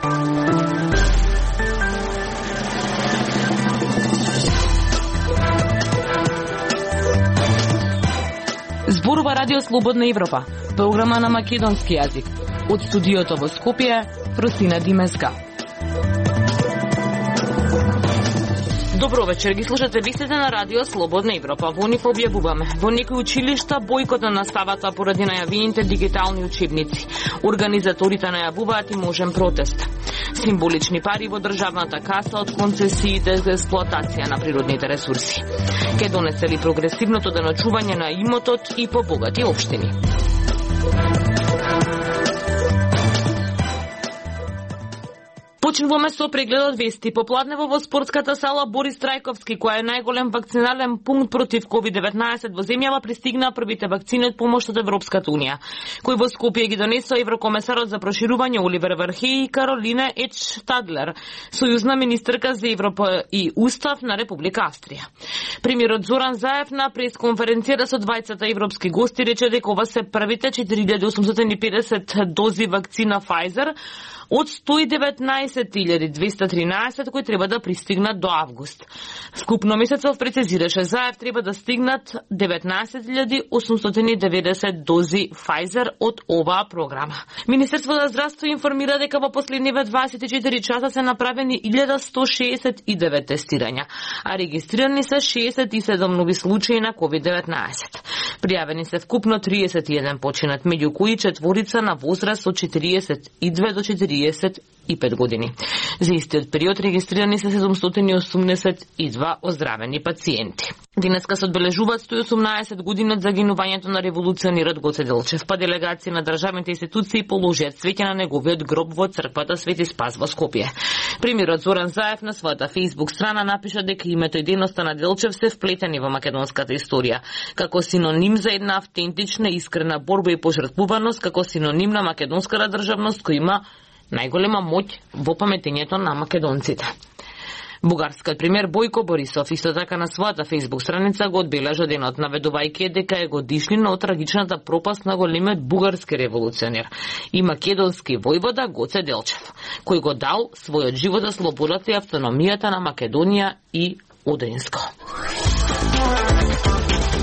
Зборува Радио Слободна Европа, програма на македонски јазик. Од студиото во Скопје, Росина Димеска. Добро вечер, ги слушате вестите на Радио Слободна Европа. Во нив објавуваме. Во некои училишта бојкот на наставата поради најавените дигитални учебници. Организаторите најавуваат и можен протест. Символични пари во државната каса од концесиите за експлоатација на природните ресурси. Ке донесе ли прогресивното деночување на имотот и побогати општини? Почнуваме со прегледот вести. Попладнево во спортската сала Борис Трајковски, која е најголем вакцинален пункт против COVID-19 во земјава, пристигнаа првите вакцини од помош од Европската унија, кои во Скопје ги донесоа еврокомесарот за проширување Оливер Вархеј и Каролина Тадлер, сојузна министерка за Европа и Устав на Република Австрија. Премиерот Зоран Заев на пресконференцијата со двајцата европски гости рече дека ова се првите 4850 дози вакцина Pfizer од 119.213 кои треба да пристигнат до август. Скупно месецов, прецизираше Заев, треба да стигнат 19.890 дози Pfizer од оваа програма. Министерството за здравство информира дека во последниве 24 часа се направени 1169 тестирања, а регистрирани се 67 нови случаи на COVID-19. Пријавени се вкупно 31 починат, меѓу кои четворица на возраст од 42 до 45 години. За истиот период регистрирани се 782 оздравени пациенти. Денеска се одбележуваат 118 години од загинувањето на револуционерот Гоце Делчев, па делегација на државните институции положиат цвеќе на неговиот гроб во црквата Свети Спас во Скопје. Премиерот Зоран Заев на својата Facebook страна напиша дека името и дејноста на Делчев се вплетени во македонската историја, како синоним за една автентична и искрена борба и пожртвуваност, како синоним на македонската државност која има најголема моќ во паметењето на македонците. Бугарскиот премиер Бојко Борисов исто така на својата Facebook страница го одбележа денот, наведувајќи дека е годишнина од трагичната пропаст на големиот бугарски револуционер и македонски војвода Гоце Делчев, кој го дал својот живот за слободата и автономијата на Македонија и Одринско.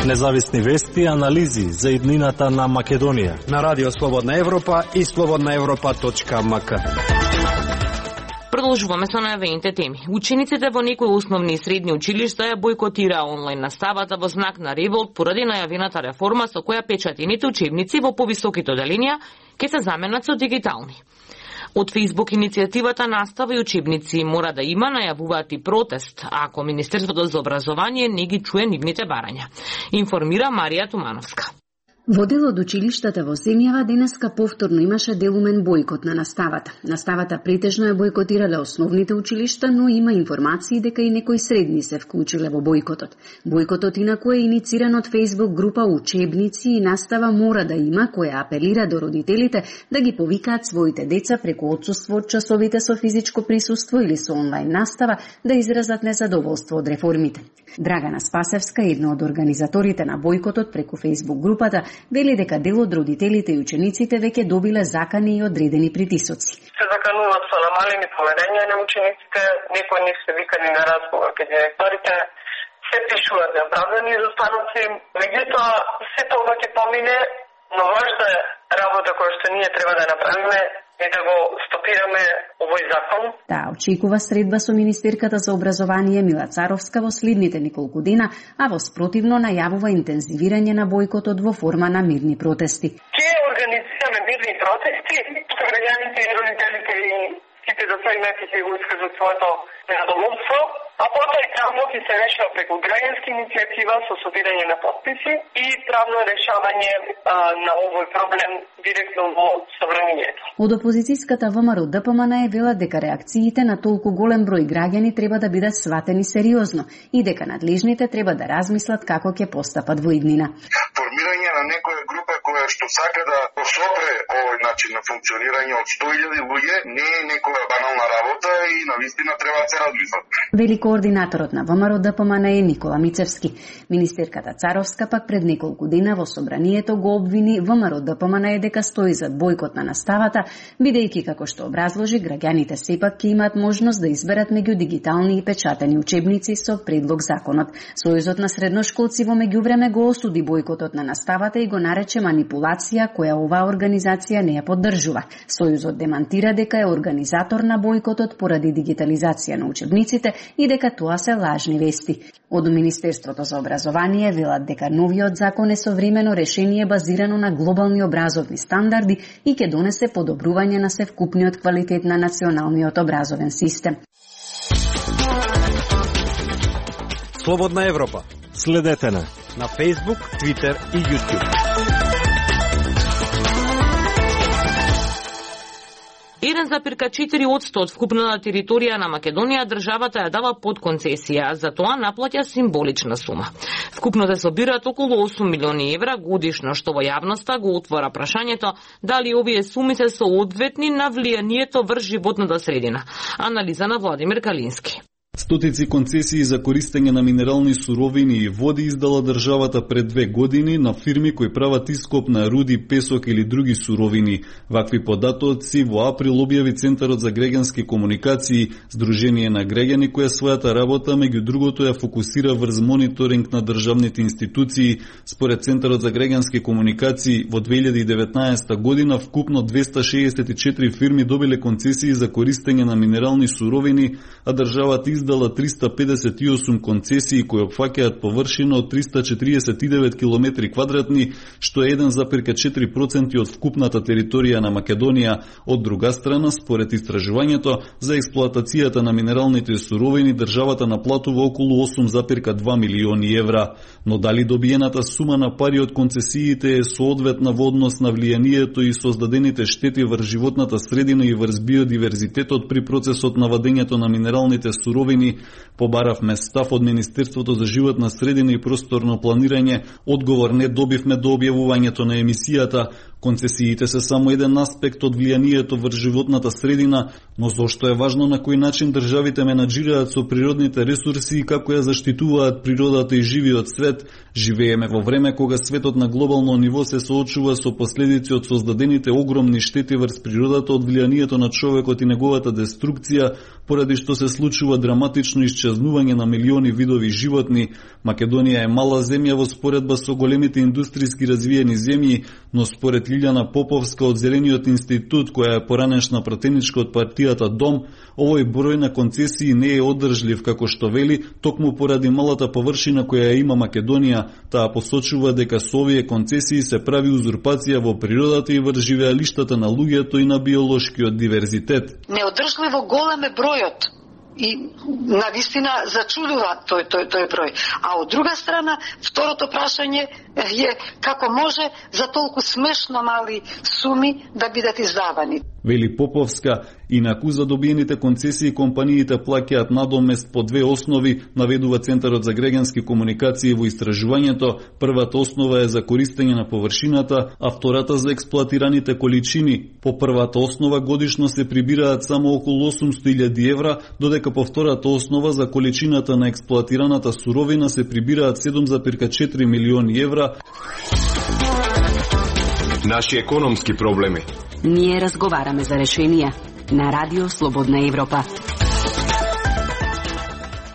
Независни вести и анализи за иднината на Македонија на Радио Слободна Европа и slobodnaevropa.mk. Продолжуваме со најавените теми. Учениците во некои основни и средни училишта ја бојкотираа онлайн наставата во знак на револт поради најавената реформа со која печатените учебници во повисоките оделенија ќе се заменат со дигитални. Од Facebook иницијативата Настава и учебници мора да има, најавуваат и протест, ако Министерството за образование не ги чуе нивните барања. Информира Марија Тумановска. Во дел од училиштата во земјава денеска повторно имаше делумен бојкот на наставата. Наставата претежно ја бојкотирале основните училишта, но има информации дека и некои средни се вклучиле во бојкотот. Бојкотот инаку е инициран од Facebook група Учебници и настава мора да има, која апелира до родителите да ги повикаат своите деца преку отсуство од часовите со физичко присуство или со онлайн настава да изразат незадоволство од реформите. Драгана Спасевска, една од организаторите на бојкотот преку Facebook групата, вели дека дел од родителите и учениците веќе добиле закани и одредени притисоци. Се закануваат со намалени поведења на учениците, некои не се викани на разговор кај директорите, се пишуваат неоправдани изостаноци, меѓутоа се тоа ќе помине, но важна е работа која што ние треба да направиме е да го стопираме овој закон. Таа очекува средба со министерката за образование Мила Царовска во следните неколку дена, а во спротивно најавува интензивирање на бојкотот во форма на мирни протести. Ќе организираме мирни протести, граѓаните и родителите и сите засегнати ќе го искажат своето незадоволство, а потоа и правно ќе се решава преку граѓанска иницијатива со собирање на подписи и правно решавање на овој проблем директно во собранието. Од опозицијската ВМРО ДПМН е вела дека реакциите на толку голем број граѓани треба да бидат сватени сериозно и дека надлежните треба да размислат како ќе постапат во иднина. Формирање на некоја група која која што сака да посопре овој начин на функционирање од 100.000 луѓе не е некоја банална работа и навистина треба да се размислат. Вели координаторот на ВМРО ДПМН е Никола Мицевски. Министерката Царовска пак пред неколку дена во собранието го обвини ВМРО ДПМН дека стои зад бојкот на наставата, бидејќи како што образложи, граѓаните сепак ќе имаат можност да изберат меѓу дигитални и печатени учебници со предлог законот. Сојузот на средношколци во меѓувреме го осуди бојкотот на наставата и го нарече манипулација која оваа организација не ја поддржува. Сојузот демантира дека е организатор на бојкотот поради дигитализација на учебниците и дека тоа се лажни вести. Од Министерството за образование велат дека новиот закон е современо решение базирано на глобални образовни стандарди и ќе донесе подобрување на севкупниот квалитет на националниот образовен систем. Слободна Европа. Следете на Facebook, Twitter и YouTube. 1,4% од вкупната територија на Македонија државата ја дава под концесија, за тоа наплаќа символична сума. Вкупно се собираат околу 8 милиони евра годишно, што во јавноста го отвора прашањето дали овие суми се соодветни на влијанието врз животната средина. Анализа на Владимир Калински. Стотици концесии за користење на минерални суровини и води издала државата пред 2 години на фирми кои прават ископ на руди, песок или други суровини. Вакви податоци во април објави Центарот за граѓански комуникации, здружение на граѓани која својата работа меѓу другото ја фокусира врз мониторинг на државните институции. Според Центарот за граѓански комуникации во 2019 година вкупно 264 фирми добиле концесии за користење на минерални суровини, а државата издала 358 концесии кои опфаќаат површина од 349 километри квадратни, што е 1,4% од вкупната територија на Македонија. Од друга страна, според истражувањето, за експлоатацијата на минералните суровини државата наплатува околу 8,2 милиони евра. Но дали добиената сума на пари од концесиите е соодветна во однос на влијанието и создадените штети врз животната средина и врз биодиверзитетот при процесот на вадењето на минералните суровини, побаравме став од Министерството за животна средина и просторно планирање, одговор не добивме до објавувањето на емисијата. Концесиите се само еден аспект од влијанието врз животната средина, но зошто е важно на кој начин државите менаџираат со природните ресурси и како ја заштитуваат природата и живиот свет. Живееме во време кога светот на глобално ниво се соочува со последици од создадените огромни штети врз природата од влијанието на човекот и неговата деструкција, поради што се случува драматично исчезнување на милиони видови животни. Македонија е мала земја во споредба со големите индустријски развиени земји, но според Лилјана Поповска од Зелениот институт, која е поранешна пратеничка од партијата ДОМ, овој број на концесии не е одржлив, како што вели, токму поради малата површина која има Македонија. Таа посочува дека со овие концесии се прави узурпација во природата и врз живеалиштата на луѓето и на биолошкиот диверзитет. Неодржливо голем е бројот. И навистина зачудува тој број. А од друга страна, второто прашање е како може за толку смешно мали суми да бидат издавани. Вели Поповска, инаку за добиените концесии компаниите плаќаат надомест по 2 основи, наведува Центарот за граѓански комуникации во истражувањето. Првата основа е за користење на површината, а втората за експлоатираните количини. По првата основа годишно се прибираат само околу 800.000 евра, додека по втората основа за количината на експлоатираната суровина се прибираат 7,4 милиони евра. Наши економски проблеми. Ние разговараме за решенија на Радио Слободна Европа.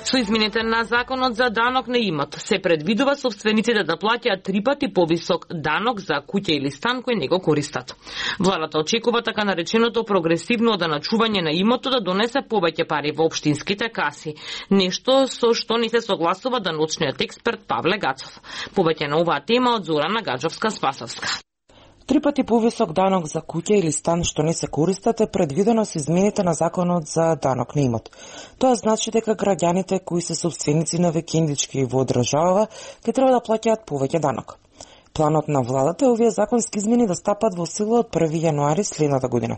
Со измените на законот за данок на имот се предвидува собствениците да плаќаат 3 пати повисок данок за куќа или стан кој не го користат. Владата очекува така нареченото прогресивно оданачување на имотот да донесе повеќе пари во општинските каси, нешто со што не се согласува даночниот експерт Павле Гацов. Повеќе на оваа тема од Зорана Гаджовска-Спасовска. 3 пати повисок данок за куќа или стан што не се користат е предвидено со измените на законот за данок на имот. Тоа значи дека граѓаните кои се собственици на викендички во држава ќе треба да плаќаат повеќе данок. Планот на владата е овие законски измени да стапат во сила од 1 јануари следната година.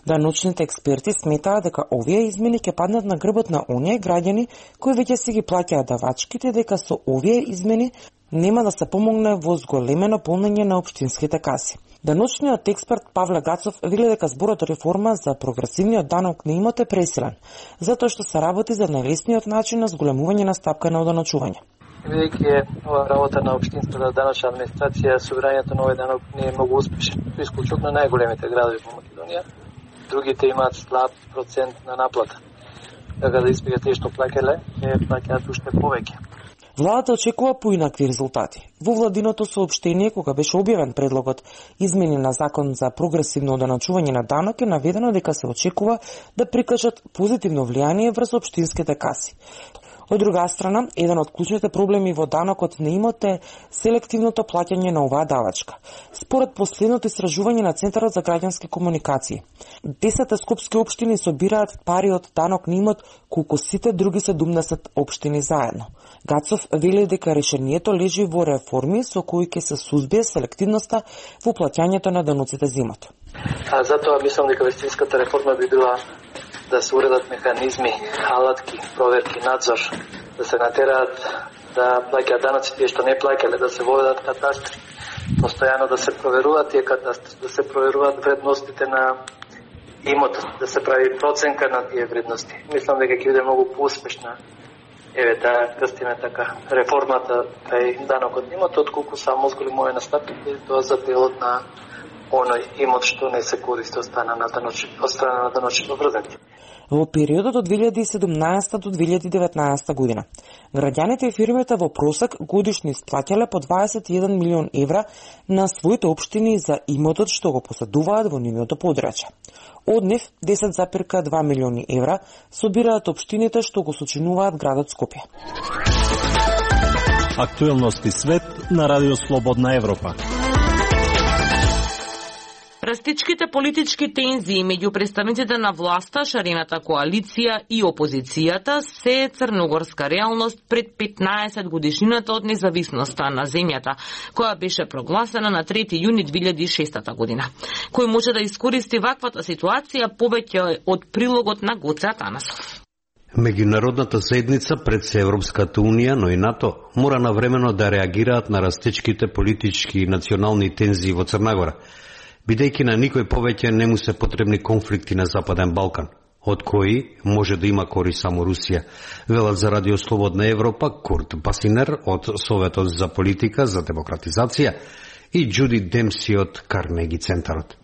Даночните експерти сметаат дека овие измени ќе паднат на грбот на оние граѓани кои веќе си ги плаќаат давачките, дека со овие измени нема да се помогне во зголемено полнење на општинските каси. Даночниот експерт Павле Гацов вели дека зборот реформа за прогресивниот данок на имот е пресилен, затоа што се работи за најлесниот начин на зголемување на стапка на одоночување. Бидејќи ова работа на општинската даночна администрација, собирањето на овој данок не е многу успешен. Исклучно најголемите градови во Македонија, другите имаат слаб процент на наплата. Така да испега тие што плаќале, плаќаат уште повеќе. Владата очекува поинакви резултати. Во владиното соопштение, кога беше објавен предлогот измени на закон за прогресивно одоночување на данок, е наведено дека се очекува да прикажат позитивно влијание врз општинските каси. Од друга страна, еден од клучните проблеми во данокот на имот е селективното плаќање на оваа давачка. Според последното истражување на Центарот за граѓански комуникации, 10 скопски општини собираат пари од данок на имот колку сите други 17 општини заедно. Гацов вели дека решението лежи во реформи со кои ќе се сузбие селективноста во плаќањето на даноците за имот. Затоа мислам дека вестинската реформа би била да се уредат механизми, алатки, проверки, надзор, да се натераат да плаќаат даноците што не плаќале, да се воведат катастри, постојано да се проверуваат тие катастри, да се проверуваат вредностите на имотот, да се прави проценка на тие вредности. Мислам дека ќе биде многу поуспешна да крстиме така реформата кај данокот на имотот, отколку само зголемување на стапките, тоа за делот на оној имот што не се користи од страна на даночно врзаните. Во периодот од 2017 до 2019 година, граѓаните и фирмите во просек годишно исплаќале по 21 милион евра на своите општини за имотот што го поседуваат во нивното подрачје. Од нив 10,2 милиони евра собираат општините што го сочинуваат градот Скопје. Актуелности свет на Радио Слободна Европа. Растичките политички тензии меѓу представниците на власта, шарената коалиција и опозицијата се црногорска реалност пред 15 годишнината од независноста на земјата, која беше прогласена на 3 јуни 2006 година. Кој може да искористи ваквата ситуација повеќе од прилогот на Гоце Атанасов. Меѓународната заедница пред се Европската унија, но и НАТО, мора навремено да реагираат на растичките политички и национални тензии во Црнагора, бидејќи на никој повеќе не му се потребни конфликти на Западен Балкан, од кои може да има корист само Русија, велат за Радио Слободна Европа Курт Басинер од Советот за политика за демократизација и Џуди Демси од Карнеги центарот.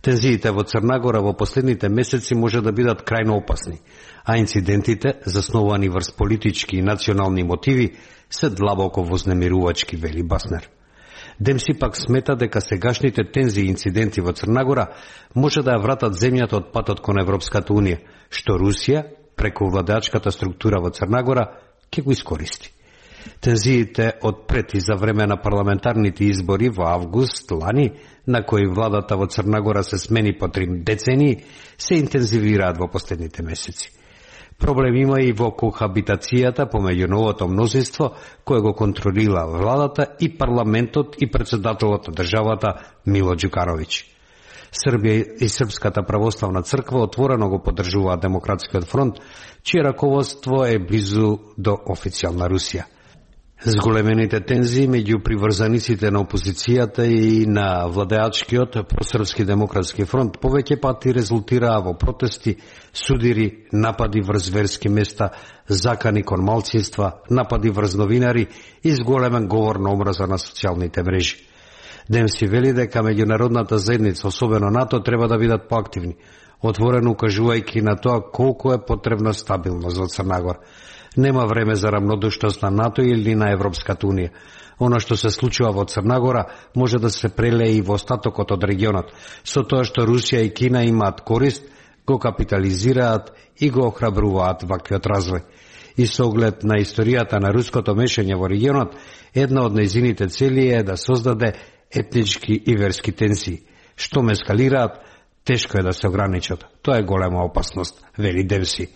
Тензиите во Црнагора во последните месеци може да бидат крајно опасни, а инцидентите, засновани врз политички и национални мотиви, се длабоко вознемирувачки, вели Баснер. Демси пак смета дека сегашните тензии и инциденти во Црнагора може да ја вратат земјата од патот кон Европската унија, што Русија, преку владеачката структура во Црнагора, ќе го искористи. Тензиите од пред и за време на парламентарните избори во август лани, на кои владата во Црнагора се смени по 3 децении, се интензивираат во последните месеци. Проблем има и во кохабитацијата помеѓу новото мнозинство кое го контролира владата и парламентот и председателот на државата Мило Џукановиќ. Србија и Српската православна црква отворено го поддржуваат Демократскиот фронт, чие раководство е близу до официјална Русија. Зголемените тензии меѓу приврзаниците на опозицијата и на владеачкиот просрпски демократски фронт повеќе пати резултираа во протести, судири, напади врз верски места, закани кон малцинства, напади врз новинари и зголемен говор на омраза на социјалните мрежи. Демси вели дека меѓународната заедница, особено НАТО, треба да бидат поактивни, отворено укажувајќи на тоа колку е потребна стабилност во Црнагора. Нема време за рамнодушност на НАТО или на Европската унија. Оно што се случува во Црнагора може да се прелее и во остатокот од регионот. Со тоа што Русија и Кина имаат корист, го капитализираат и го охрабруваат ваквиот развој. И со оглед на историјата на руското мешање во регионот, една од нејзините цели е да создаде етнички и верски тензии. Што ме ескалираат, тешко е да се ограничат. Тоа е голема опасност, вели Демси.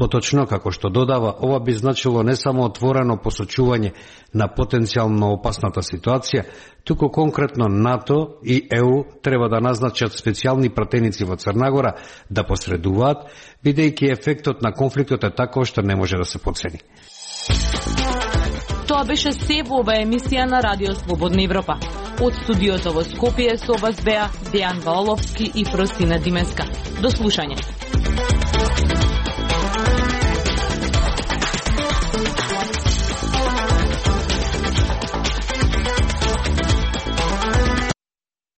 Поточно, како што додава, ова би значило не само отворено посочување на потенцијално опасната ситуација, туку конкретно НАТО и ЕУ треба да назначат специјални пратеници во Црнагора да посредуваат, бидејќи ефектот на конфликтот е таков што не може да се потцени. Тоа беше се во ова емисија на Радио Слободна Европа. Од студиото во Скопје со вас беа Дејан Валовски и Фросина Дименска. До слушање.